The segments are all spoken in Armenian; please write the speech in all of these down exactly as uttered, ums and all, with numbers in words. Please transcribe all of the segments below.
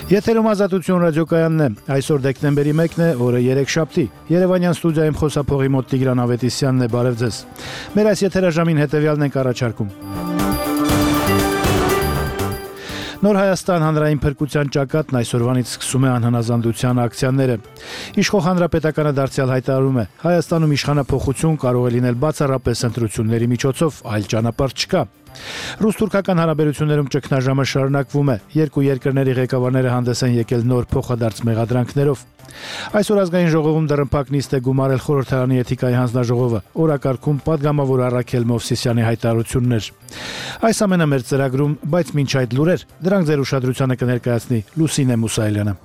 Եթերում Ազատություն ռադիոկայանն է, այսօր դեկտեմբերի մեկն է, օրը երեքշաբթի, Երևանյան ստուդիայում խոսափողի մոտ Տիգրան Ավետիսյանն է, բարև ձեզ։ Մեր այս եթերաժամին հետևյալն ենք առաջարկում։ Նոր Հայաստան հանրային փրկության ճակատն այսօրվանից սկսում է անհնազանդության ակցիաները։ Իշխող հանրապետականը դարձյալ հայտարարում է, Հայաստանում իշխանափոխություն կարող է լինել բացառապես ընտրությունների միջոցով, այլ ճանապարհ չկա։ Ռուս-թուրքական հարաբերություններում ճգնաժամը շարունակվում է, երկու երկրների ղեկավարները հանդես են եկել նոր փոխադարձ մեղադրանքներով։ Այսօր ազգային ժողովում դռնփակ նիստ է գումարել խորհրդարանի էթիկայի հանձնաժողովը, օրակարգում պատգամավոր Առաքել Մովսիսյանի հայտարարություններ։ Այս ամենը մեր ծրագրում, բայց մինչ այդ լուրեր, դրանք ձեր ուշադրությանը կներկայացնի Լուսինե Մուսայելյանը։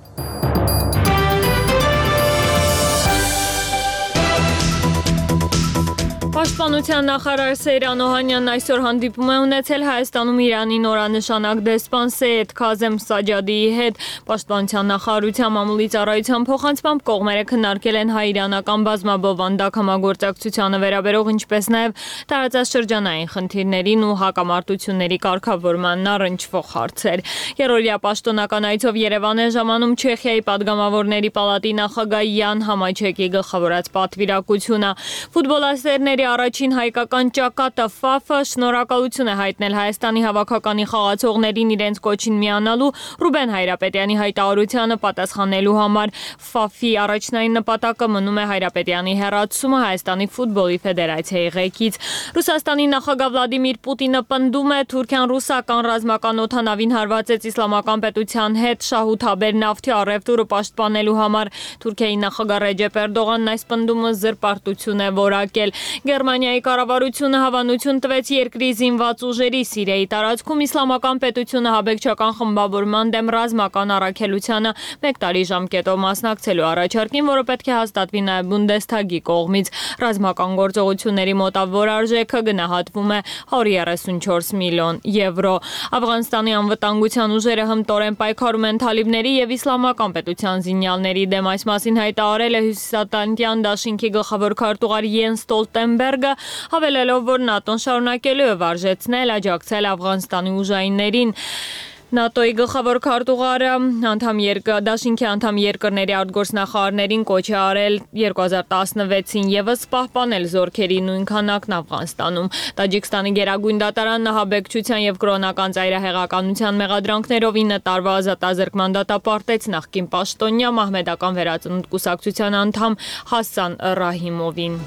Պաշտպանության նախարար Սեյրան Օհանյանն այսօր հանդիպում է ունեցել Հայաստանում Իրանի նորանշանակ դեսպան Սեյեդ Քազեմ Սաջադիի հետ։ Պաշտպանության նախարարության մամուլի ծառայության փոխանցմամբ կողմերը քննարկել են հայ-իրանական բազմաբովանդակ համագործակցությանը վերաբերող, ինչպես նաև տարածաշրջանային խնդիրներին ու հակամարտությունների կարգավորմանն առնչվող հարցեր։ Երրորդյա պաշտոնական այցով Երևան է ժամանում Չեխիայի падգամավորների պալատի նախագահ Յան Համաչեկի գլխավորած պատվիրակությունը։ Ֆուտբոլասերների առաջին հայկական ճակատը ՖԱՖ-ը շնորհակալություն է հայտնել Հայաստանի հավաքականի խաղացողներին իրենց կոչին միանալու Ռուբեն Հայրապետյանի հայտարարությանը պատասխանելու համար։ ՖԱՖ-ի առաջնային նպատակը մնում է Հայրապետյանի հեռացումը Հայաստանի ֆուտբոլի ֆեդերացիայի ղեկից։ Ռուսաստանի նախագահ Վլադիմիր Պուտինը պնդում է, Թուրքիան ռուսական ռազմական օդանավին հարվածեց իսլամական պետության հետ շահութաբեր նավթի առևտուրը պաշտպանելու համար։ Թուրքիայի նախագահ Ռեջեփ Էրդողանն այս պնդումը զրպարտություն է որակել։ Գերմանիայի կառավարությունը հավանություն տվեց երկրի զինված ուժերի Սիրիայի տարածքում իսլամական պետությունը հաբեկչական խմբավորման դեմ ռազմական առաքելությանը մեկ տարի ժամկետով մասնակցելու առաջարկին, որը պետք է հաստատվի նաև Բունդեսթագի կողմից։ Ռազմական գործողությունների մոտավոր արժեքը գնահատվում է հարյուր երեսունչորս միլիոն եվրո։ Աֆղանստանի անվտանգության ուժերը հմտորեն պայքարում են թալիբների եւ իսլամական պետության զինյալների դեմ։ Այս մասին հայտարարել է Հյուսիսատլանտյան դաշինքի գլխավոր քարտուղար Յենս Ստոլտենբերգը, հավելելով, որ ՆԱՏՕ-ն շարունակելու է վարժեցնել աջակցել Աֆղանստանի ուժայիններին։ ՆԱՏՕ-ի գլխավոր քարտուղարը անդամ երկրների դաշինքի անդամ երկրների արտգործնախարարներին կոչ է արել երկու հազար տասնվեցին ևս պահպանել զորքերի նույն քանակն Աֆղանստանում։ Տաջիկստանի գերագույն դատարանն ահաբեկչության եւ կրոնական ծայրահեղականության մեղադրանքներով ինը տարվա ազատազրկման դատապարտեց նախկին պաշտոնյա Մահմեդական վերածնունդ կուսակցության անդամ Հասան Ռահիմովին։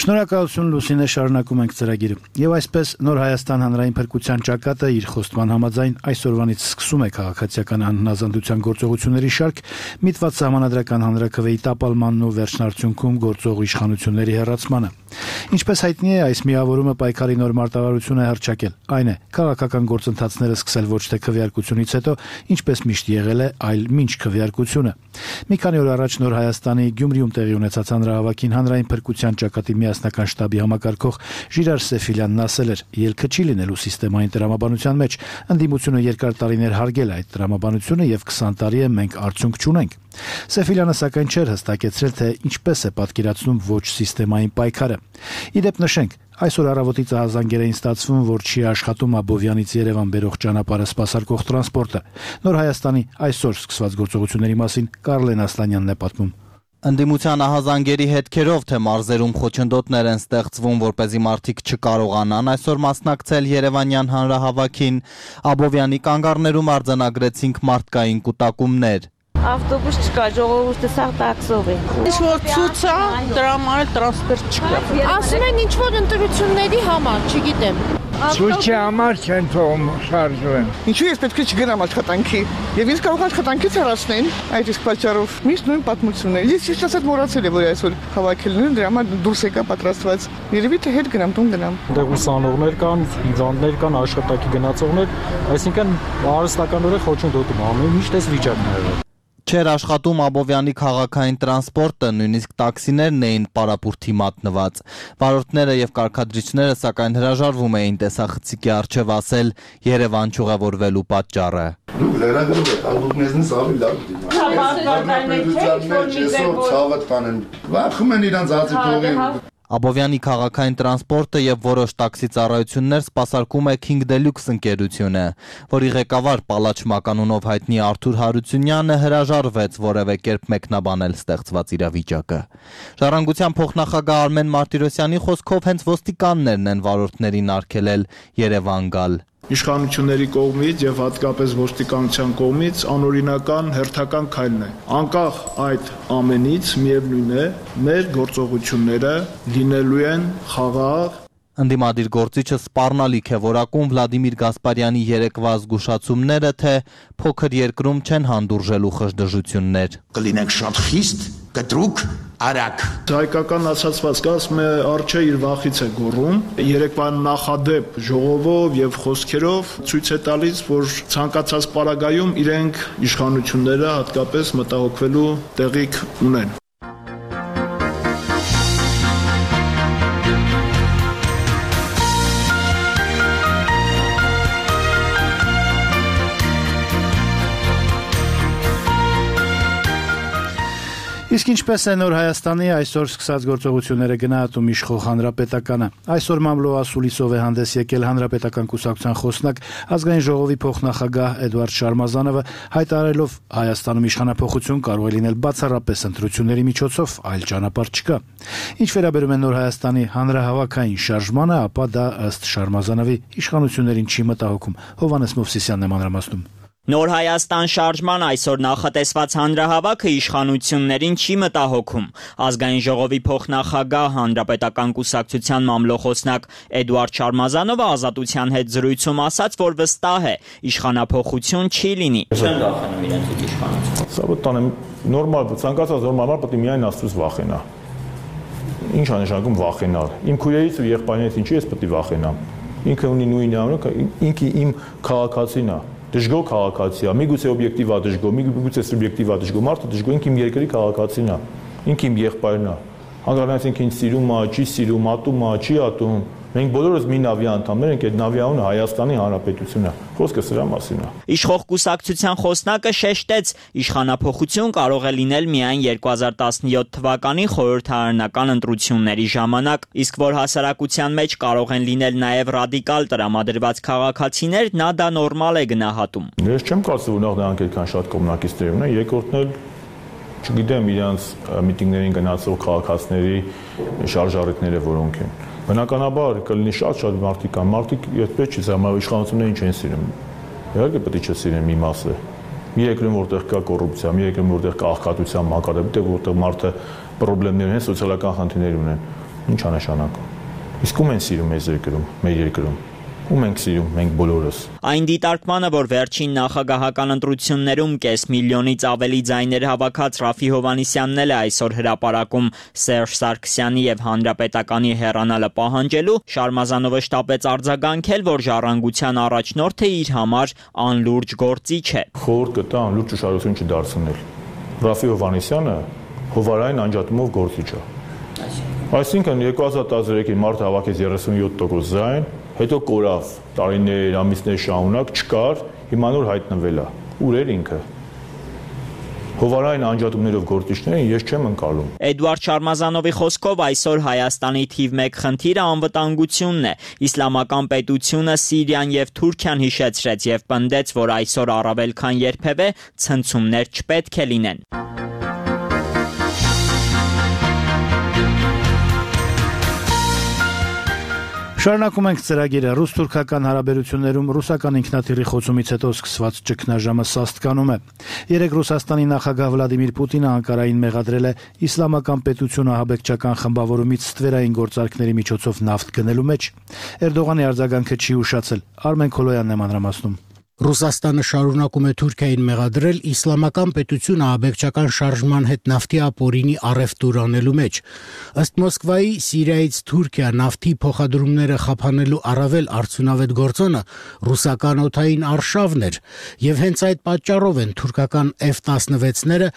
Շնորհակալություն Լուսինե, շարունակում ենք ծրագիրը։ Եվ այսպես Նոր Հայաստան հանրային փրկության ճակատը իր խոստման համաձայն այսօրվանից սկսում է քաղաքացիական անհնազանդության գործողությունների շարք, միտված սահմանադրական հանրաքվեի տապալմանն ու վերջնարդյունքում գործող իշխանությունների հեռացմանը։ Ինչպես հայտնի է, այս միավորումը պայքարի նոր մարտավարություն է հռչակել։ Այն է, քաղաքական գործընթացները սկսել ոչ թե քվեարկությունից հետո, ինչպես միշտ եղել է, այլ մինչ քվեարկությունը։ Մի քանի օր առաջ Նոր Հայաստանի Գյումրիում տեղի ունեցած հանրահավաքին հանրային փրկության ճակատի միասնական շտաբի համակարգող Ժիրար Սեֆիլյանն ասել էր, ելքը չի լինելու սիստեմային տրամաբանության մեջ, ընդդիմությունը երկար տարիներ հարգել է այդ տրամաբանությունը եւ քսան տարի է մենք արդյունք չունենք։ Սեֆիլյանը սակայն չէր հստակեցրել, թե ինչպես է պատկերացնում ոչ սիստեմային պայքարը։ Իդեպ նշենք, այսօր առավոտից ահազանգերային ստացվում, որ չի աշխատում Աբովյանից Երևան բերող ճանապարհը սպասարկող տրանսպորտը։ Նոր Հայաստանի այսօր սկսված գործողությունների մասին Կարլեն Ասլանյանն է պատմում։ Ընդդիմության ահազանգերի հետքերով, թե մարզերում խոչընդոտներ են ստեղծվում, որպեսզի մարդիկ չկարողանան այսօր մասնակցել Երևանյան հանրահավաքին, Աբովյանի կանգառներում արձանագրեցինք մարդկային կուտակումներ։ Ավտոբուս չկա, ժողովուրդը սաղ տաքսով է։ Ինչ-որ ցույց է, դրա համար տրանսպորտ չկա։ Ասում են ինչ-որ ընտրությունների համար, չգիտեմ։ Ցույցի համար չեն թողում շարժվեն։ Ինչու ես պետք է չգնամ աշխատանքի։ Եվ ինձ կարող աշխատանքից հեռացնեն այդ իսկ պատճառով։ Միշտ նույն պատմությունն է։ Ես ճիշտ ասած մոռացել եմ, որ այսօր հավաքելն են, դրա համար դուրս եկա պատրաստված։ Երևի թե հետ գնամ, տուն գնամ։ Դե ուսանողներ կան, հիվանդներ կան, աշխատակի գնացողներ, այսինքն հարստականորեն խոչընդոտում ամեն միշտ էս վիճակն է եղել։ Չէր աշխատում Աբովյանի քաղաքային տրանսպորտը, նույնիսկ տաքսիներն էին պարապուրդի մատնված։ Վարորդները եւ կարգադրիչները սակայն հրաժարվում էին տեսախցիկի առջև ասել Երևան ճյուղավորվելու պատճառը։ Դուք լրագրող եք, դուք մեզնից ավելի լավ դիտում։ Վախում են իրանց ածի փողի։ Աբովյանի քաղաքային տրանսպորտը եւ որոշ տաքսի ծառայություններ սպասարկում է King Deluxe ընկերությունը, որի ղեկավար Պալաչ Մականունով հայտնի Արթուր Հարությունյանը հրաժարվեց որևէ կերպ մեկնաբանել ստեղծված իրավիճակը։ Ժառանգության փոխնախագահ Արմեն Մարտիրոսյանի խոսքով հենց ոստիկաններն են վարորդներին արգելել Երևան գալ։ Իշխանությունների կողմից եւ հատկապես ոստիկանության կողմից անօրինական հերթական քայլն է։ Անկախ այդ ամենից միևնույն է, մեր գործողությունները լինելու են խաղաղ։ Ընդդիմադիր գործիչը սպառնալիք է որակում Վլադիմիր Գասպարյանի երեկվա զգուշացումները, թե փոքր երկրում չեն հանդուրժելու խժդժություններ։ Կլինենք շատ խիստ, կտրուկ, արագ։ Հայկական ասացվածքը ասում է արջը իր վախից է գոռում։ Երեկվա նախադեպ ժողովով եւ խոսքերով ցույց է տալիս, որ ցանկացած պարագայում իրենք իշխանությունները հատկապես մտահոգվելու տեղիք ունեն։ Իսկ ինչպես է Նոր Հայաստանի այսօր սկսած գործողությունները գնահատում իշխող Հանրապետականը։ Այսօր մամլոյ ասուլիսով է հանդես եկել Հանրապետական կուսակցության խոսնակ ազգային ժողովի փոխնախագահ Էդուարդ Շարմազանովը, հայտարարելով Հայաստանում իշխանափոխություն կարող է լինել բացառապես ընտրությունների միջոցով, այլ ճանապարհ չկա։ Ինչ վերաբերում է Նոր Հայաստանի հանրահավաքային շարժմանը, ապա դա ըստ Շարմազանովի իշխանություններին չի մտահոգում։ Հովհաննես Մովսիսյանն է մանրամասնում։ Նոր Հայաստան շարժման այսօր նախատեսված հանրահավաքը իշխանություններին չի մտահոգում։ Ազգային ժողովի փոխնախագահ Հանրապետական կուսակցության մամլոխոսնակ Էդուարդ Շարմազանովը Ազատության հետ զրույցում ասաց, որ վստահ է, իշխանափոխություն չի լինի։ Չեն վախենում իրենց իշխանություն։ Սա բտան նորմալ, ցանկացած նորմալ մարդ պետք է միայն Աստծուց վախենա։ Ինչ է նշանակում վախենալ։ Իմ քույրերից ու եղբայրներից ինչի ես պետք է վախենամ։ Ինքը ունի նույն անունը, ինքը իմ քաղաքացին է։ Դժգոհ քաղաքացի է, միգուցե օբյեկտիվ է դժգոհ, միգուցե սուբյեկտիվ է դժգոհ, մարդը դժգոհ ինքը իմ երկրի քաղաքացին է, ինքը իմ եղբայրն է։ Հանգարանից ինքը ինձ սիրում է, չի սիրում, ատում է, չի ատում։ Մենք բոլորս մի նավի անդամներ ենք, այդ նավի անունը Հայաստանի Հանրապետությունն է։ Խոսքը սրա մասին է։ Իշխող կուսակցության խոսնակը շեշտեց, իշխանափոխություն կարող է լինել միայն երկու հազար տասնյոթ թվականի խորհրդարանական ընտրությունների ժամանակ, իսկ որ հասարակության մեջ կարող են լինել նաև ռադիկալ տրամադրված քաղաքացիներ, նա դա նորմալ է գնահատում։ Ես չեմ կարծում, որ նրանք այդքան շատ կոմունակիստներ ունեն, երկրորդն էլ չգիտեմ իրանց միտինգներին գնացող քաղաքացիների շարժառիթները որոնք են։ Բնականաբար կլինի շատ-շատ մարդիկ կան, մարդիկ այդպես չի զամավ իշխանություններին չեն սիրում։ Իհարկե պետք է չսիրեն մի մասը։ Մի երկրում որտեղ կա կոռուպցիա, մի երկրում որտեղ կա աղքատության մակարդակ, որտեղ մարդը խնդիրներ ունեն, սոցիալական խնդիրներ ունեն, ինչ է նշանակում։ Իսկ ում են սիրում այս երկրում, մեր երկրում։ Ում ենք սիրում մենք բոլորս։ Այն դիտարկմանը, որ վերջին նախագահական ընտրություններում կես միլիոնից ավելի ձայներ հավաքած Ռաֆի Հովհաննիսյանն էլ է այսօր հրապարակում Սերժ Սարգսյանի եւ Հանրապետականի հեռանալը պահանջելու, Շարմազանովը շտապեց արձագանքել, որ ժառանգության առաջնորդը իր համար անլուրջ գործիչ է։ Խորհուրդ կտա անլուրջ ուշադրություն չդարձնել։ Ռաֆի Հովհաննիսյանը հովարային անջատումով գործիչ է։ Այսինքն երկու հազար տասներեքին մարդը հավաքեց երեսունյոթ տոկոս ձայն, հետո կորավ տարիներ, ամիսներ շարունակ չկար, հիմա նոր հայտնվել է։ Ուր էր ինքը։ Հովարային անջատումներով գործիչներին ես չեմ ընկալում։ Էդուարդ Շարմազանովի խոսքով այսօր Հայաստանի թիվ մեկ խնդիրը անվտանգությունն է։ Իսլամական պետությունը Սիրիան եւ Թուրքիան հիշեցրեց եւ պնդեց, որ այսօր առավել քան երբևէ ցնցումներ չպետք է լինեն։ Շարունակում ենք ծրագիրը։ Ռուս-թուրքական հարաբերություններում ռուսական ինքնաթիռի խոցումից հետո սկսված ճգնաժամը սաստկանում է։ Երեկ Ռուսաստանի նախագահ Վլադիմիր Պուտինը Անկարային մեղադրել է իսլամական պետությունը ահաբեկչական խմբավորումից ստվերային գործարքների միջոցով նավթ գնելու մեջ։ Էրդողանի արձագանքը չի ուշացել։ Արմեն Քոլոյանն է մանրամասնում։ Ռուսաստանը շարունակում է Թուրքիային մեղադրել իսլամական պետությունը աբեկչական շարժման հետ նավթի ապօրինի առևտուր անելու մեջ։ Ըստ Մոսկվայի, Սիրիայից Թուրքիա նավթի փոխադրումները խափանելու առավել արդյունավետ գործոնը ռուսական օդային արշավն էր, եւ հենց այդ պատճառով են թուրքական F տասնվեցները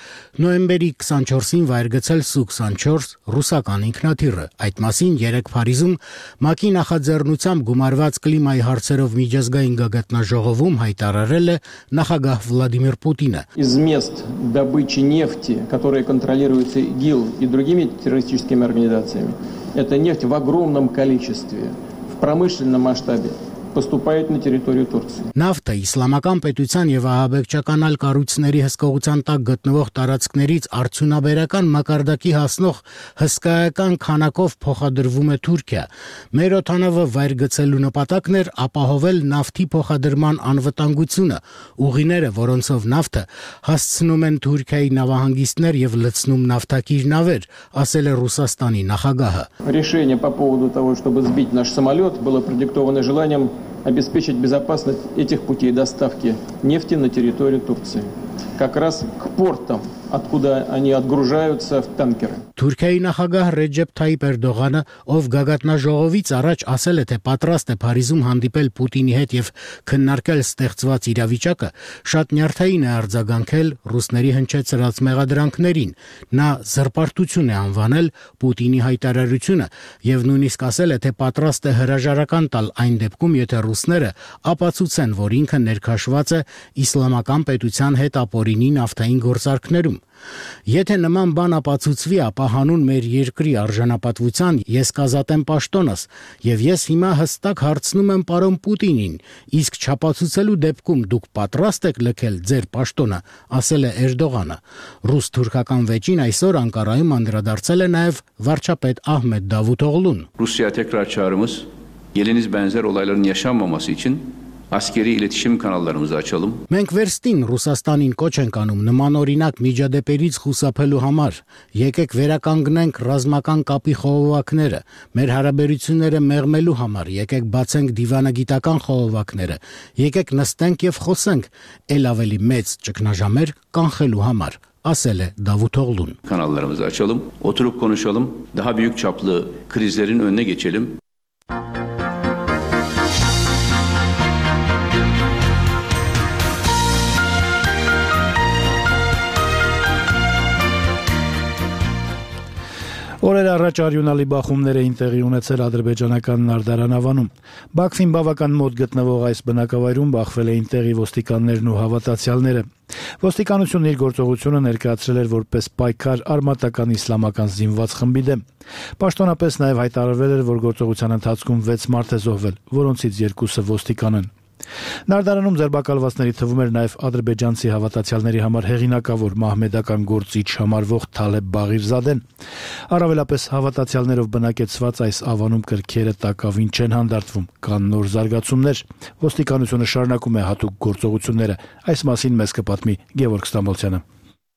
նոյեմբերի քսանչորսին վայր գցել Սու քսանչորս ռուսական ինքնաթիռը։ Այդ մասին երեկ Փարիզում ՄԱԿ-ի նախաձեռնությամբ գումարված կլիմայի հարցերով միջազգային գագաթնաժողովում հայտարարել է նախագահ Վլադիմիր Պուտինը։ Из мест добычи нефти, которые контролируются ИГИЛ и другими террористическими организациями, эта нефть в огромном количестве, в промышленном масштабе поступает на территорию Турции. Նավթը իսլամական պետության եւ ահաբեկչական այլ կառույցների հսկողության տակ գտնվող տարածքներից արդյունաբերական մակարդակի հասնող հսկայական քանակով փոխադրվում է Թուրքիա։ Մեր օդանավը վայր գցելու նպատակն էր ապահովել նավթի փոխադրման անվտանգությունը, ուղիները, որոնցով նավթը հասցնում են Թուրքիայի նավահանգիստներ եւ լցնում նավթակիր նավեր, ասել է Ռուսաստանի նախագահը։ Решение по поводу того, чтобы сбить наш самолет, было продиктовано желанием обеспечить безопасность этих путей доставки нефти на территорию Турции, как раз к портам, откуда они отгружаются в танкеры. Թուրքիայի նախագահ Ռեջեփ Թայիպ Էրդողանը, ով գագաթնաժողովից առաջ ասել է, թե պատրաստ է Փարիզում հանդիպել Պուտինի հետ եւ քննարկել ստեղծված իրավիճակը, շատ նյարդային է արձագանքել ռուսների հնչեցրած մեղադրանքներին։ Նա զրպարտություն է անվանել Պուտինի հայտարարությունը եւ նույնիսկ ասել է, թե պատրաստ է հրաժարական տալ այն դեպքում, եթե ռուսները ապացուցեն, որ ինքը ներքաշված է իսլամական պետության հետ ապօրինի նավթային գործարքներում։ Եթե նման բան ապացուցվի, ապա հանուն մեր երկրի արժանապատվության ես կազատեմ պաշտոնս, եւ ես հիմա հստակ հարցնում եմ պարոն Պուտինին, իսկ չապացուցելու դեպքում դուք պատրաստ եք լքել ձեր պաշտոնը, ասել է Էրդողանը։ Ռուս-թուրքական վեճին այսօր Անկարայում անդրադարձել է նաեւ վարչապետ Ահմեդ Դավութօղլուն։ Rusya'ya tekrar çağrımız, geliniz benzer olayların yaşanmaması için askeri iletişim kanallarımızı açalım. Մենք վերստին Ռուսաստանին կոչ ենք անում նմանօրինակ միջադեպերից խուսափելու համար։ Եկեք վերականգնենք ռազմական կապի խողովակները, մեր հարաբերությունները մեղմելու համար, եկեք բացենք դիվանագիտական խողովակները, եկեք նստենք եւ խոսենք ել ավելի մեծ ճգնաժամեր կանխելու համար, ասել է Դավութօղլուն։ Kanallarımızı açalım, oturup konuşalım, daha büyük çaplı krizlerin önüne geçelim. Օրեր առաջ արյունալի բախումներ էին տեղի ունեցել ադրբեջանական Նարդարանավանում։ Բաքվին բավական մոտ գտնվող այս բնակավայրում բախվել էին տեղի ոստիկաններն ու հավատացյալները։ Ոստիկանությունն իր գործողությունը ներկայացրել էր որպես պայքար արմատական իսլամական զինված խմբի դեմ։ Պաշտոնապես նաև հայտարարվել էր, որ գործողության ընթացքում վեց մարդ է զոհվել, որոնցից երկուսը ոստիկան են։ Նարդարանում ձերբակալվածների թվում էր նաև ադրբեջանցի հավատացյալների համար հեղինակավոր մահմեդական գործիչ համարվող Թալեբ Բաղիրզադեն։ Առավելապես հավատացյալներով բնակեցված այս ավանում կրքերը տակավին չեն հանդարտվում, կան նոր զարգացումներ։ Ոստիկանությունը շարունակում է հատուկ գործողությունները։ Այս մասին մեզ կպատմի Գևորգ Ստամբոլցյանը։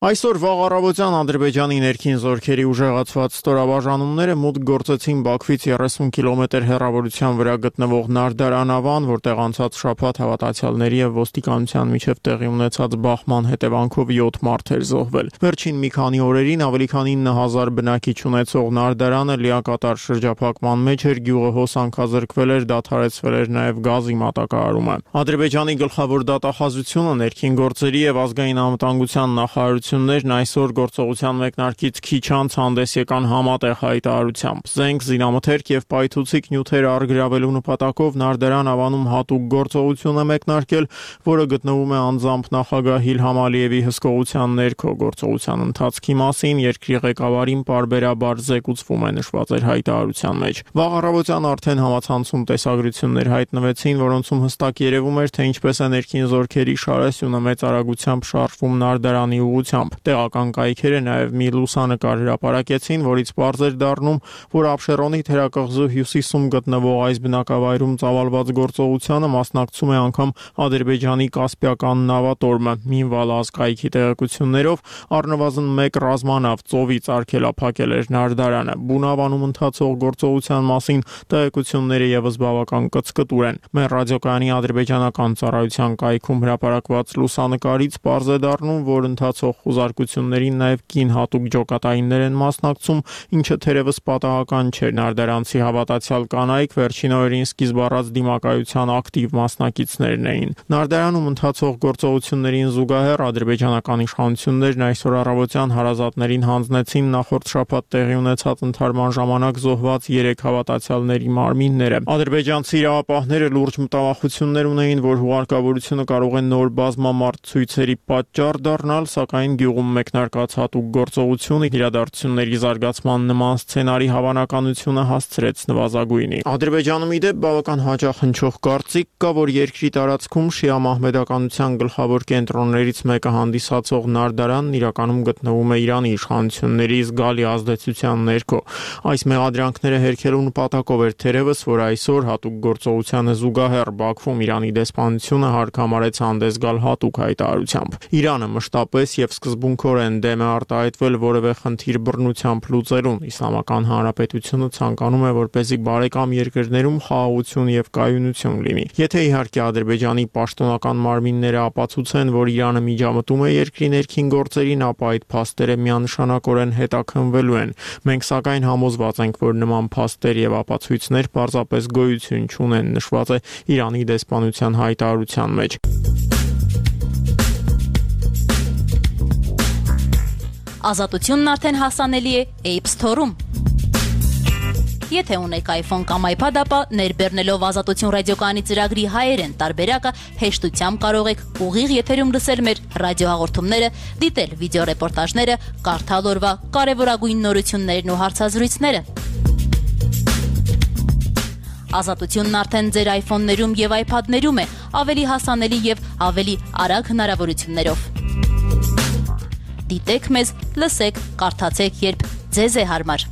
Այսօր վաղ առավոտյան Ադրբեջանի ներքին զորքերի ուժեղացված ստորաբաժանումները մուտք գործեցին Բաքվից երեսուն կիլոմետր հեռավորության վրա գտնվող Նարդարանավան, որտեղ անցած շաբաթ հավատացյալների եւ ոստիկանության միջև տեղի ունեցած բախման հետևանքով յոթ մարդ էր զոհվել։ Վերջին մի քանի օրերին ավելի քան ինը հազար բնակիչ ունեցող Նարդարանը լիակատար շրջափակման մեջ էր, գյուղը հոսանքազրկվել էր, դադարեցվել էր նաեւ գազի մատակարարումը։ Ադրբեջանի գլխավոր դատախազությունը ներքին գործերի եւ ազգային անվտանգության նախարարություններն այսօր գործողության մեկնարկից քիչ անց հանդես եկան համատեղ հայտարարությամբ։ Զենք, զինամթերք եւ պայթուցիկ նյութեր առգրավելու նպատակով Նարդարան ավանում հատուկ գործողություն է մեկնարկել, որը գտնվում է անձամբ նախագահ Իլհամ Ալիևի հսկողության ներքո։ Գործողության ընթացքի մասին երկրի ղեկավարին պարբերաբար զեկուցվում է նշված էր հայտարարության մեջ։ Վաղ առավոտյան արդեն համացանցում տեսագրություններ հայտնվեցին, որոնցում հստակ երևում էր, թե ինչպես է ներքին զորքերի շարասյունը մեծ արագությամբ շարժվում Նարդարանի ուղղությամբ։ ուղղությամբ։ Տեղական կայքերը նաև մի լուսանկար հրապարակեցին, որից պարզ էր դառնում, որ Աբշերոնի թերակղզու հյուսիսում գտնվող այս բնակավայրում ծավալված գործողությանը մասնակցում է անգամ Ադրբեջանի Կասպիական նավատորմը։ Մինվալ ազգայքի տեղեկություններով առնվազն մեկ ռազմանավ ծովից արգելափակել էր նարդարանը։ Բունավանում ընթացող գործողության մասին տեղեկությունները եւս բավական կծկտուր են։ Մեր ռադիոկայանի ադրբեջանական ծառայության կայքում հրապարակված լուսանկարից պարզ է դառնում, որ ընթացող խուզարկություններին նաև կին հատուկ ջոկատայիններ են մասնակցում, ինչը թերևս պատահական չէ։ Նարդարանցի հավատացյալ կանայք վերջին օրերին սկիզբ առած դիմակայության ակտիվ մասնակիցներն էին։ Նարդարանում ընթացող գործողություններին զուգահեռ ադրբեջանական իշխանություններն այսօր առավոտյան հարազատներին հանձնեցին նախորդ շաբաթ տեղի ունեցած ընդհարման ժամանակ զոհված երեք հավատացյալների մարմինները։ Ադրբեջանցի իրավապահները լուրջ մտավախություններ ունեին, որ հուղարկավորությունը կարող է նոր բազմամարդ ցույցերի պատճառ դառնալ, սակայն գյուղում մեկնարկած հատուկ գործողությունը իրադարձությունների զարգացման նման սցենարի հավանականությունը հասցրեց նվազագույնի։ Ադրբեջանում ի դեպ բավական հաճախ հնչող կարծիք կա, որ երկրի տարածքում շիա մահմեդականության գլխավոր կենտրոններից մեկը հանդիսացող նարդարանն իրականում գտնվում է Իրանի իշխանությունների զգալի ազդեցության ներքո։ Այս մեղադրանքները հերքելու նպատակով էր թերևս, որ այսօր հատուկ գործողությանը զուգահեռ Բաքվում Իրանի դեսպանությունը հարկամարեց հանդես գալ հատուկ հայտարարությամբ։ Իրանը մշտապես եւ սկզբունքորեն դեմ է արտահայտվել որևէ խնդիր բռնությամբ լուծելուն։ Իսլամական Հանրապետությունը ցանկանում է, որպեսզի բարեկամ երկրներում խաղաղություն եւ կայունություն լինի։ Եթե իհարկե Ադրբեջանի պաշտոնական մարմինները ապացուցեն, որ Իրանը միջամտում է երկրի ներքին գործերին, ապա այդ փաստերը միանշանակորեն հետաքննվելու են։ Մենք սակայն համոզված ենք, որ նման փաստեր եւ ապացույցներ պարզապես գոյություն չունեն, նշված է Իրանի դեսպանության հայտարարության մեջ։ Ազատությունն արդեն հասանելի է App Store-ում։ Եթե ունեք iPhone կամ iPad, ապա ներբեռնելով Ազատություն ռադիոկայանի ծրագրի հայերեն տարբերակը հեշտությամբ կարող եք ուղիղ եթերում լսել մեր ռադիոհաղորդումները, դիտել վիդեոռեպորտաժները, կարդալ օրվա կարևորագույն նորություններն ու հարցազրույցները։ Ազատությունն արդեն ձեր iPhone-ներում եւ iPad-ներում է, ավելի հասանելի եւ ավելի արագ հնարավորություններով։ Դիտեք մեզ, լսեք, կարդացեք, երբ ձեզ է հարմար։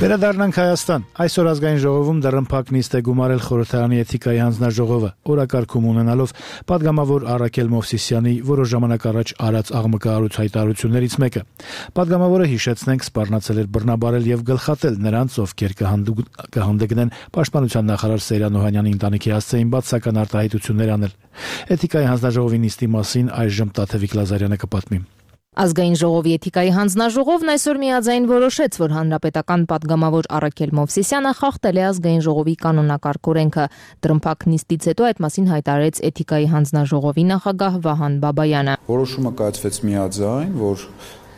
Վերադառնանք Հայաստան։ Այսօր ազգային ժողովում դռնփակ նիստ է գումարել խորհրդարանի էթիկայի հանձնաժողովը, օրակարգում ունենալով պատգամավոր Առաքել Մովսիսյանի որոշ ժամանակ առաջ արած աղմկահարույց հայտարարություններից մեկը։ Պատգամավորը, հիշեցնենք, սպառնացել էր բռնաբարել եւ գլխատել նրանց, ովքեր կհանդգնեն պաշտպանության նախարար Սեյրան Օհանյանի ընտանիքի հասցեին բացասական արտահայտություններ անել։ Էթիկայի հանձնաժողովի նիստի մասին այժմ Տաթևիկ Լազարյանը կպատմի։ Ազգային ժողովի էթիկայի հանձնաժողովն այսօր միաձայն որոշեց, որ հանրապետական պատգամավոր Առաքել Մովսիսյանը խախտել է ազգային ժողովի կանոնակարգ օրենքը։ Դռնփակ նիստից հետո այդ մասին հայտարարեց էթիկայի հանձնաժողովի նախագահ Վահան Բաբայանը։ Որոշումը կայացվեց միաձայն, որ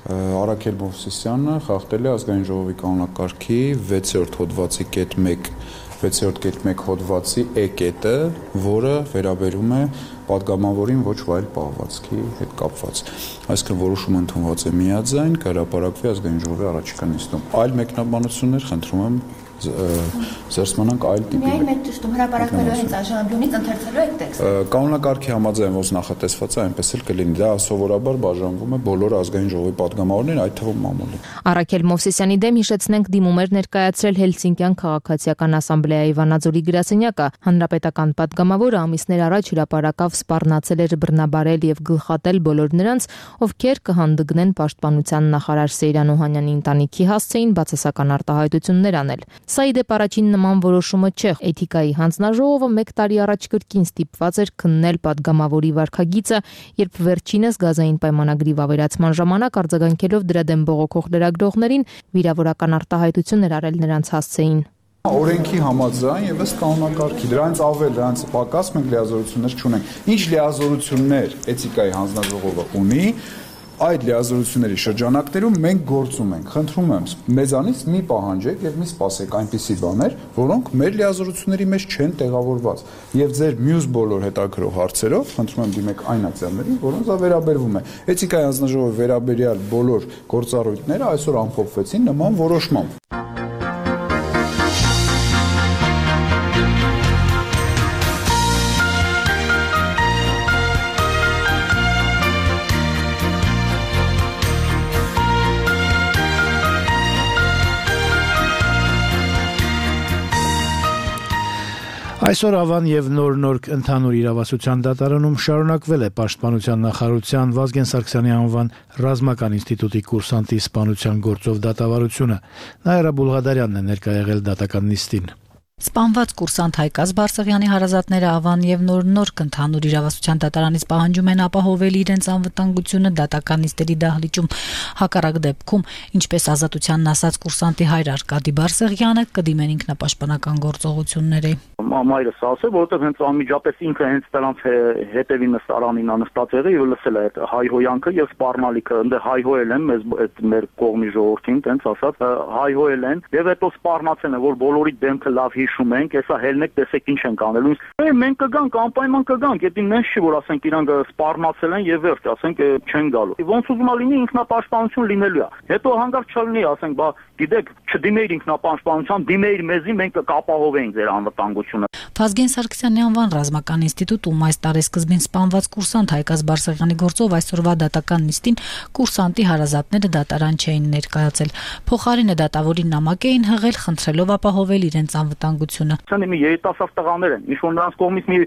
Առաքել Մովսիսյանը խախտել է ազգային ժողովի կանոնակարգի վեցերորդ հոդվածի կետ մեկ վեցերորդ կետ մեկ հոդվածի E կետը, որը վերաբերում է պատգամավորին ոչ վայել պահվածքի հետ կապված։ Այսինքն որոշումը ընդունված է միաձայն, կհրապարակվի ազգային ժողովի առաջիկա նիստում։ Այլ մեկնաբանություններ խնդրում եմ զերծմանանք այլ տիպի։ Միայն մեկ ճշտում հրապարակվելու հենց այժմից ընթերցելու եք տեքստը։ Կանոնակարգի համաձայն ոնց նախատեսված է, այնպես էլ կլինի։ Դա սովորաբար բաժանվում է բոլոր ազգային ժողովի պատգամավորներին, այդ թվում մամուլին։ Առաքել Մովսիսյանի դեմ, հիշեցնենք, դիմում էր ներկայացրել Հելսինկյան քաղաքացիական ասամբլեայի Վանաձորի գրասենյակը։ Հանրապետական պատգամավորը ամիսներ առաջ հրապարակավ սպառնացել էր բռնաբարել եւ գլխատել բոլոր նրանց, ովքեր կհանդգնեն պաշտպանության նախարար Սեյրան Օհանյանի ընտանիքի հասցեին բացասական արտահայտություններ անել։ Սա ի դեպ առաջին նման որոշումը չէ։ Էթիկայի հանձնաժողովը մեկ տարի առաջ կրկին ստիպված էր քննել պատգամավորի վարքագիծը, երբ վերջինս գազային պայմանագրի վավերացման ժամանակ արձագանքելով դրա դեմ բողոքող լրագրողներին վիրավորական արտահայտություն էր արել նրանց հասցեին։ Օրենքի համաձայն եւ ըստ կանոնակարգի դրանից ավել, դրանից պակաս մենք լիազորություններ չունենք։ Ինչ լիազորություններ էթիկայի հանձնաժողովը ունի, այդ լիազորությունների շրջանակներում մենք գործում ենք։ Խնդրում եմ, մեզանից մի պահանջեք եւ մի սպասեք այնպիսի բաներ, որոնք մեր լիազորությունների մեջ չեն տեղավորված։ Եվ ձեր մյուս բոլոր հետաքրող հարցերով խնդրում եմ դիմեք այն ակցիաներին, որոնց դա վերաբերվում է։ Էթիկայի հանձնաժողովի վերաբերյալ բոլոր գործառույթները այսօր ամփոփվեցին նման որոշմամբ։ Այսօր Ավան եւ Նոր-Նորք ընդհանուր իրավասության դատարանում շարունակվել է Պաշտպանության նախարարության Վազգեն Սարգսյանի անվան ռազմական ինստիտուտի կուրսանտի սպանության գործով դատավարությունը։ Նաիրա Բուլղադարյանն է ներկա եղել դատական նիստին։ Սպանված կուրսանտ Հայկազ Բարսեղյանի հարազատները Ավան եւ Նոր-Նորք ընդհանուր իրավասության դատարանից պահանջում են ապահովել իրենց անվտանգությունը դատական նիստերի դահլիճում։ Հակառակ դեպքում, ինչպես ազատությանն ասաց կուրսանտի հայր Արկադի Բարսեղյանը, կդիմեն ինքնապաշտպանական գործողությունների։ Մամայրս ասել, որովհետեւ հենց անմիջապես ինքը հենց դրանց հետևի նստարանին նստած եղել եւ լսել է այդ հայհոյանքը եւ սպառնալիքը, ընդ հայհոել են մեզ այդ մեր կողմի ժողովրդին, տենց ասած, հայհոել են եւ հետո սպառնացել են, որ բոլորի դեմքը լավ հիշում ենք, հեսա հելնեք, տեսեք ինչ ենք անելու։ Մենք կգանք, անպայման կգանք, եթե նենց չի, որ ասենք իրանք սպառնացել են եւ վերջ, ասենք չեն գալու։ Ոնց ուզում է լինի ինքնապաշտպանություն լինելու է։ Հետո հանգարց չլինի, ասենք, բա գիտեք, չդիմեիր ինքնապաշտպանության, դիմեիր մեզի, մենք կապահովենք ձեր անվտանգությունը։ Վազգեն Սարգսյանի անվան ռազմական ինստիտուտում այս տարեսկզբին սպանված կուրսանտ Հայկազ Բարսեղյանի գործով այսօրվա դատական նիստին կուրսանտի հարազատները դատարան չէին ներկայացել։ Փոխարենը դատավորին նամակ էին հղել, խնդրելով ապահովել իրենց անվտանգությունը։ Ցանի մի երիտասարդ տղաներ են, ինչ որ նրանց կողմից մի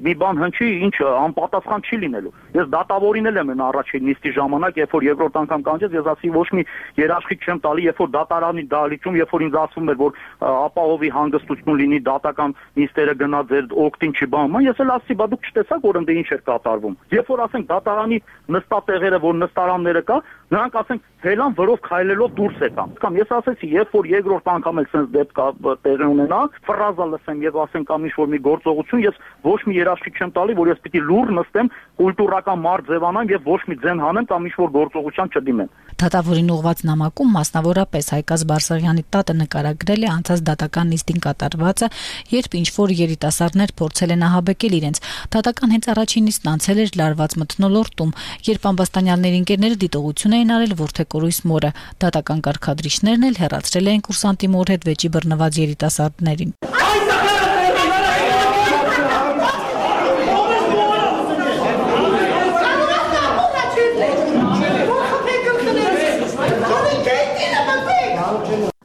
մի բան հնչի, ինչ անպատասխան չի լինելու։ Ես դատավորին էլ եմ առաջին նիստի ժամանակ, երբ որ երկրորդ անգամ կանչեց, ես ասի ոչ մի երաշխիք չեմ տալի, երբ որ դատարանի դահլիճում, երբ որ ինձ ասվում էր, որ ապահովի հանգստություն լինի դատական նիստերը գնա ձեր օգտին չի բանում։ Ես էլ ասի, բա դուք չտեսաք, որ ընդ ինչ էր կատարվում։ Երբ որ ասենք դատարանի նստատեղերը, որ նստարանները կա, նրանք ասենք հելան վրով քայլելով դուրս եկան։ Կամ ես ասեցի, երբ որ երկրորդ անգամ էլ sense դեպք տեղի ունենա, ֆրազա լսեմ եւ ասենք կամ ինչ որ մի գործողություն, ես ոչ մի երաշխիք չեմ տալի, որ ես պիտի լուր նստեմ, կուլտուրական մարդ ձևանամ եւ ոչ մի ձեն հանեմ կամ ինչ որ գործողության չդիմեմ։ Դատավորին ուղված նամակում մասնավորապես Հայկազ Բարսեղյանի տատը նկարագրել է անցած դատական նիստին կատարվածը, երբ ինչ որ երիտասարդներ փորձել են ահաբեկել իրենց։ Դատական հենց առաջին նիստն անցել էր լարված մթնոլորտում, երբ ամբաստանյալների ընկերները դիտողություն էին արել Որդեկորույս մորը։ Դատական կարգադրիչներն էլ հեռացրել էին կուրսանտի մոր հետ վեճի բռնված երիտասարդներին։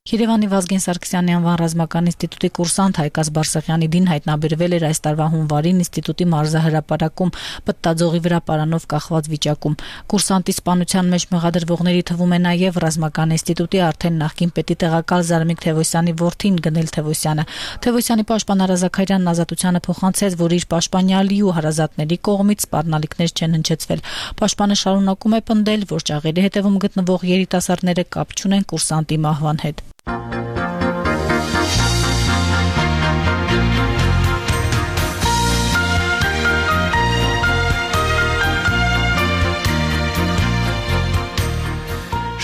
Երևանի Վազգեն Սարգսյանի անվան ռազմական ինստիտուտի կուրսանտ Հայկազ Բարսեղյանի դին հայտնաբերվել էր այս տարվա հունվարին ինստիտուտի մարզահրապարակում պտտաձողի վրա պարանով կախված վիճակում։ Կուրսանտի սպանության մեջ մեղադրվողների թվում է նաև ռազմական ինստիտուտի արդեն նախկին պետի տեղակալ Զարմիկ Թևոսյանի որդին Գնել Թևոսյանը։ Թևոսյանի պաշտպան Արա Զաքարյանն ազատությանը փոխանցեց, որ իր պաշտպանյալի ու հարազատների կողմից սպառնալիքներ չեն հնչեցվել։ Պաշտպանը շարունակում է պնդել, որ ճաղերի հետևում գտնվող երիտասարդները կապ չունեն կուրսանտի մահվան հետ։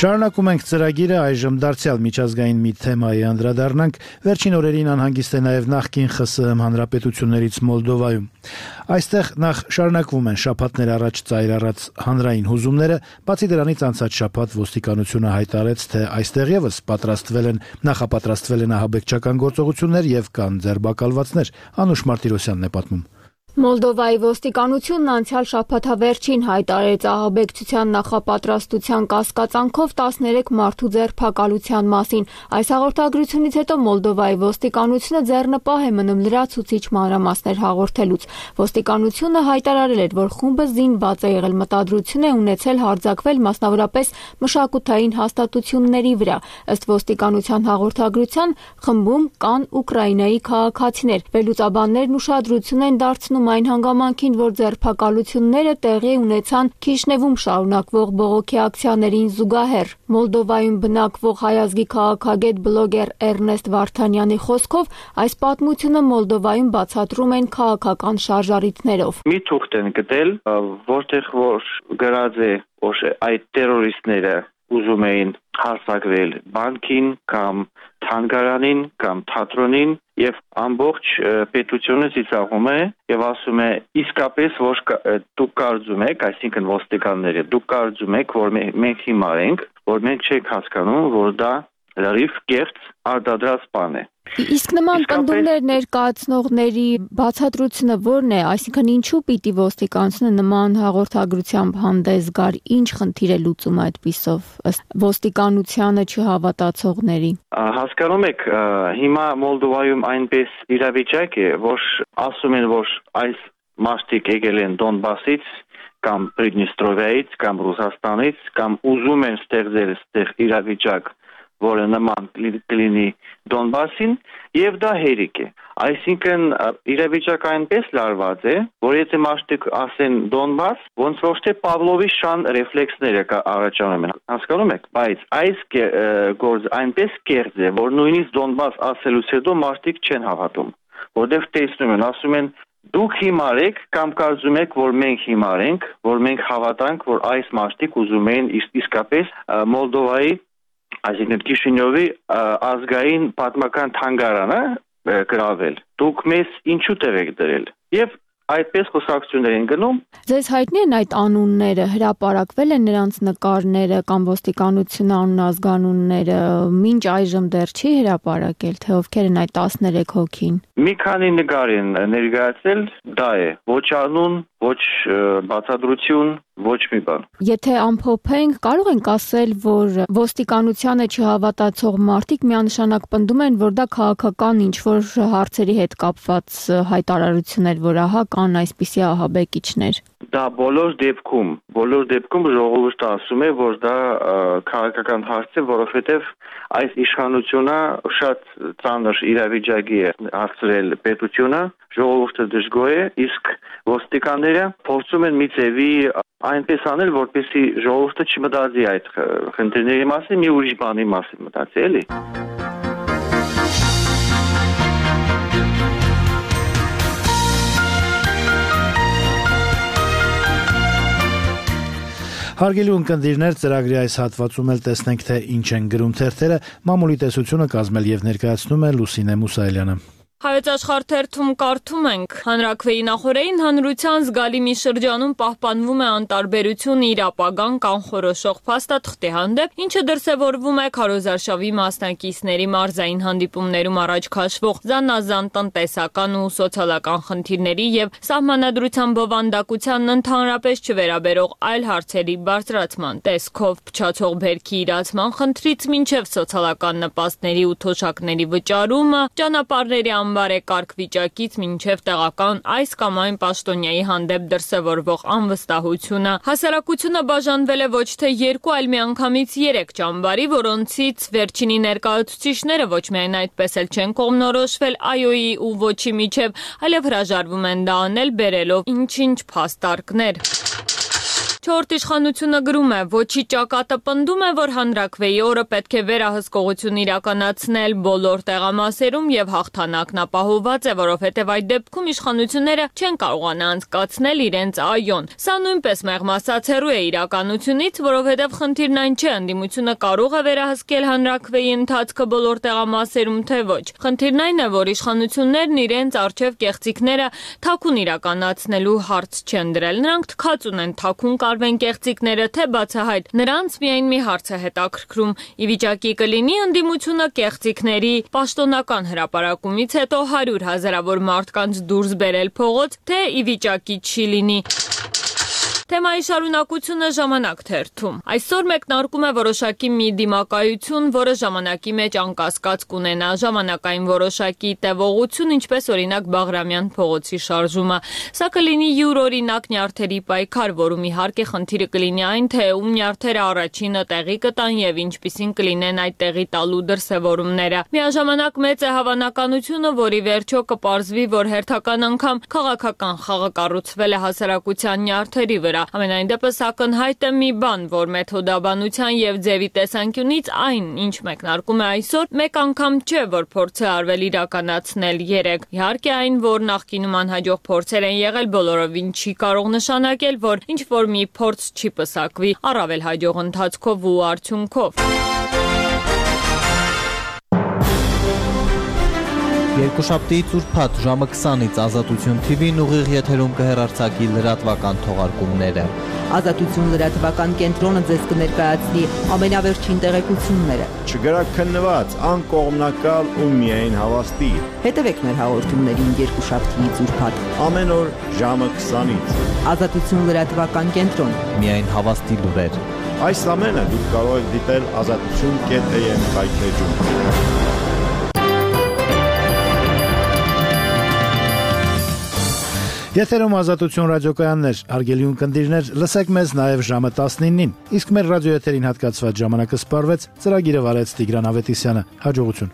Շարունակում ենք ծրագիրը, այժմ դարձյալ միջազգային մի թեմայի անդրադառնանք։ Վերջին օրերին անհանգիստ է նաև նախկին ԽՍՀՄ հանրապետություններից Մոլդովայում։ Այստեղ նախ շարունակվում են շաբաթներ առաջ ծայր առած հանրային հուզումները, բացի դրանից անցած շաբաթ ոստիկանությունը հայտարարեց, թե այստեղ եւս պատրաստվել են նախապատրաստվել են ահաբեկչական գործողություններ եւ կան ձերբակալվածներ։ Անուշ Մարտիրոսյանն է պատմում։ Մոլդովայի ոստիկանությունն անցյալ շաբաթավերջին հայտարարեց ահաբեկչության նախապատրաստության կասկածանքով տասներեք մարդու ձերբակալության մասին։ Այս հաղորդագրությունից հետո Մոլդովայի ոստիկանությունը ձեռնպահ է մնում լրացուցիչ մանրամասներ հաղորդելուց։ Ոստիկանությունը հայտարարել էր, որ խումբը զինված է եղել, մտադրություն է ունեցել հարձակվել մասնավորապես մշակութային հաստատությունների վրա։ Ըստ ոստիկանության հաղորդագրության խմբում կան Ուկրաինայի քաղաքացիներ։ Վերլուծաբաններն ուշադրություն են դարձնում ասում այն հանգամանքին, որ ձերբակալությունները տեղի ունեցան Քիշնևում շարունակվող բողոքի ակցիաներին զուգահեռ։ Մոլդովայում բնակվող հայազգի քաղաքագետ բլոգեր Էրնեստ Վարդանյանի խոսքով այս պատմությունը Մոլդովայում բացատրում են քաղաքական շարժառիթներով։ Մի թուղթ են գտել, որտեղ որ գրած է, որ այդ տերորիստները ուզում էին հարձակվել բանկին կամ թանգարանին կամ թատրոնին եւ ամբողջ պետությունը ծիծաղում է եւ ասում է իսկապես որ դուք կարծում եք, այսինքն ոստիկանները, դուք կարծում եք, որ մենք հիմար ենք, որ մենք չենք հասկանում, որ դա լրիվ կեղծ արտադրած բան է։ Իսկ նման պնդումներ ներկայացնողների բացատրությունը ո՞րն է, այսինքն ինչու պիտի ոստիկանությունը նման հաղորդագրությամբ հանդես գար, ինչ խնդիր է լուծում այդպիսով ըստ ոստիկանությանը չհավատացողների։ Հասկանում եք, հիմա Մոլդովայում այնպես իրավիճակ է, որ ասում են, որ այս մարդիկ եկել են Դոնբասից կամ Պրիդնիստրովիայից կամ Ռուսաստանից կամ ուզում են ստեղծել այդտեղ իրավիճակ, որը նման կլինի Դոնբասին, եւ դա հերիք է։ Այսինքն իրավիճակը այնպես լարված է, որ եթե մարդիկ ասեն Դոնբաս, ոնց որ թե Պավլովի շան ռեֆլեքսները առաջանում են։ Հասկանում եք, բայց այս գործ այնպես կեղծ է, որ նույնիսկ Դոնբաս ասելուց հետո մարդիկ չեն հավատում, որտեղ տեսնում են, ասում են դուք հիմար եք կամ կարծում եք, որ մենք հիմար ենք, որ մենք հավատանք, որ այս մարդիկ ուզում են իսկապես Մոլդովայի այսինքն Քիշինյովի ազգային պատմական թանգարանը գրավել։ Դուք մեզ ինչու տեղ եք դրել։ Եվ այդպես խոսակցություններ են գնում։ Ձեզ հայտնի են այդ անունները, հրապարակվել են նրանց նկարները կամ ոստիկանությունը անունազգանունները, մինչ այժմ դեռ չի հրապարակել, թե ովքեր են այդ տասներեք հոգին։ Մի քանի նկար են ներկայացել, դա է, ոչ անուն, ոչ բացատրություն, ոչ մի բան։ Եթե ամփոփենք, կարող ենք ասել, որ ոստիկանությանը չհավատացող մարդիկ միանշանակ պնդում են, որ դա քաղաքական ինչ-որ հարցերի հետ կապված հայտարարություն էր, որ ահա կան այսպիսի ահաբեկիչներ։ Դա բոլոր դեպքում, բոլոր դեպքում ժողովուրդը ասում է, որ դա քաղաքական հարց է, որովհետև այս իշխանությունը շատ ծանր իրավիճակի է հասցրել պետությունը, ժողովուրդը դժգոհ է, իսկ ոստիկանները փորձում են մի ձևի այնպես անել, որպեսզի ժողովուրդը չմտածի այդ խնդիրների մասին, մի ուրիշ բանի մասին մտածի, էլի։ Հարգելի ունկնդիրներ, ծրագրի այս հատվածում էլ տեսնենք, թե ինչ են գրում թերթերը, մամուլի տեսությունը կազմել եւ ներկայացնում է Լուսինե Մուսայելյանը։ Հայոց աշխարհ թերթում կարդում ենք. Հանրաքվեի նախօրեին հանրության զգալի մի շրջանում պահպանվում է անտարբերություն իր ապագան կանխորոշող փաստաթղթի հանդեպ, ինչը դրսևորվում է քարոզարշավի մասնակիցների մարզային հանդիպումներում առաջ քաշվող զանազան տնտեսական ու սոցիալական խնդիրների եւ սահմանադրության բովանդակությանն ընդհանրապես չվերաբերող այլ հարցերի բարձրացման տեսքով փչացող բերքի իրացման խնդրից մինչեւ սոցիալական նպաստների ու թոշակների վճարումը, ճանապարհների բարեկարգ վիճակից մինչև տեղական այս կամ այն պաշտոնյայի հանդեպ դրսևորվող անվստահությունը, հասարակությունը բաժանվել է ոչ թե երկու, այլ միանգամից երեք ճամբարի, որոնցից վերջինի ներկայացուցիչները ոչ միայն այդպես էլ չեն կողմնորոշվել այ-ի ու ոչի միջև, այլև հրաժարվում են դա անել բերելով ինչ-ինչ փաստարկներ։ Չորրորդ իշխանությունը գրում է, ոչի ճակատը պնդում է, որ հանրաքվեի օրը պետք է վերահսկողություն իրականացնել բոլոր տեղամասերում եւ հաղթանակն ապահովված է, որովհետեւ այդ դեպքում իշխանությունները չեն կարողանա անցկացնել իրենց այոն։ Սա նույնպես մեղմասած հեռու է իրականությունից, որովհետեւ խնդիրն այն չէ, ընդդիմությունը կարող է վերահսկել հանրաքվեի ընթացքը բոլոր տեղամասերում, թե ոչ։ Խնդիրն այն է, որ իշխանություններն իրենց արժեվ կեղծիքները թաքուն իրականացնելու հարց չեն դրել։ Նրանք թքած ունեն թաքուն արվեն կեղծիքները, թե բացահայտ, նրանց միայն մի հարց է հետաքրքրում՝ ի վիճակի կլինի ընդդիմությունը կեղծիքների պաշտոնական հրապարակումից հետո հարյուր հազարավոր մարդկանց դուրս բերել փողոց, թե ի վիճակի չի լինի։ Թեմայի շարունակությունը Ժամանակ թերթում։ Այսօր մեկնարկում է որոշակի մի դիմակայություն, որը ժամանակի մեջ անկասկած կունենա ժամանակային որոշակի տևողություն, ինչպես օրինակ Բաղրամյան փողոցի շարժումը։ Սա կլինի յուրօրինակ նյարդերի պայքար, որում իհարկե խնդիրը կլինի այն, թե ում նյարդերը առաջինը տեղի կտան եւ ինչպիսին կլինեն այդ տեղի տալու դրսևորումները։ Միաժամանակ մեծ է հավանականությունը, որի վերջո կպարզվի, որ հերթական անգամ քաղաքական խաղը կառուցվել է հասարակության նյարդերի վրա։ Ամենայն դեպս ակնհայտ է մի բան, որ մեթոդաբանության եւ ձևի տեսանկյունից այն, ինչ մեկնարկում է այսօր, մեկ անգամ չէ, որ փորձ է արվել իրականացնել երեք։ Իհարկե այն, որ նախկինում անհաջող փորձեր են եղել, բոլորովին չի կարող նշանակել, որ ինչ որ մի փորձ չի պսակվի առավել հաջող ընթացքով ու արդյունքով։ Երկուշաբթիից ուրբաթ ժամը քսանից Ազատություն թի վին ուղիղ եթերում կհեռարձակի լրատվական թողարկումները։ Ազատություն լրատվական կենտրոնը ձեզ կներկայացնի ամենավերջին տեղեկությունները։ Չգրաքննված, անկողմնակալ ու միայն հավաստի։ Հետևեք մեր հաղորդումներին երկուշաբթիից ուրբաթ ամեն օր ժամը քսանից։ Ազատություն լրատվական կենտրոն։ Միայն հավաստի լուրեր։ Այս ամենը դուք կարող եք դիտել ազատություն կետ է եմ հայտնեջում։ Եթերում Ազատություն ռադիոկայաններ, հարգելի ունկնդիրներ, լսեք մեզ նաև ժամը տասնինին, իսկ մեր ռադիոեթերին հատկացված ժամանակը սպառվեց, ծրագիրը վարեց Տիգրան Ավետիսյանը, հաջողություն։